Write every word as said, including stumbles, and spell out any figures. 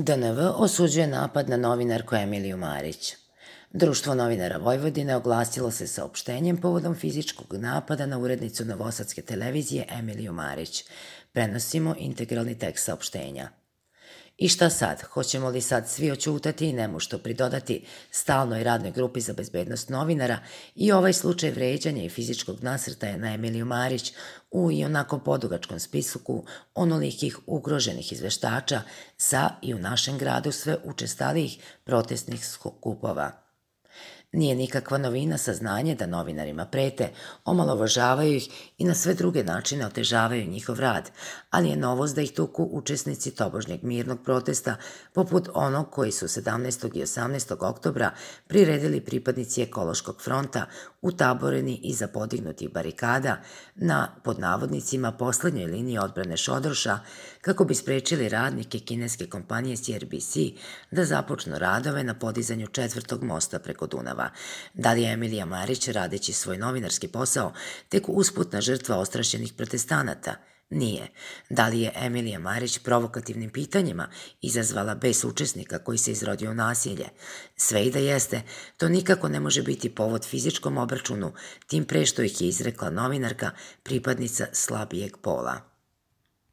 D N V osuđuje napad na novinarku Emiliju Marić. Društvo novinara Vojvodine oglasilo se saopštenjem povodom fizičkog napada na urednicu novosadske televizije Emiliju Marić. Prenosimo integralni tekst saopštenja. I šta sad? Hoćemo li sad svi oćutati i nemušto pridodati stalnoj radnoj grupi za bezbednost novinara i ovaj slučaj vređanja i fizičkog nasrtaja na Emiliju Marić u i onako podugačkom spisku onolikih ugroženih izveštača sa i u našem gradu sve učestalijih protestnih skupova? Nije nikakva novina saznanje da novinarima prete, omalovažavaju ih i na sve druge načine otežavaju njihov rad, ali je novost da ih tuku učesnici tobožnjeg mirnog protesta, poput onog koji su sedamnaestog i osamnaestog oktobra priredili pripadnici ekološkog fronta utaboreni iza podignutih barikada na, pod navodnicima, poslednjoj liniji odbrane Šodroša, kako bi sprečili radnike kineske kompanije C R B C da započnu radove na podizanju četvrtog mosta preko Dunava. Da li je Emilija Marić, radeći svoj novinarski posao, tek usputna žrtva ostrašćenih protestanata? Nije. Da li je Emilija Marić provokativnim pitanjima izazvala bes učesnika koji se izrodio u nasilje? Sve i da jeste, to nikako ne može biti povod fizičkom obračunu, tim pre što ih je izrekla novinarka, pripadnica slabijeg pola.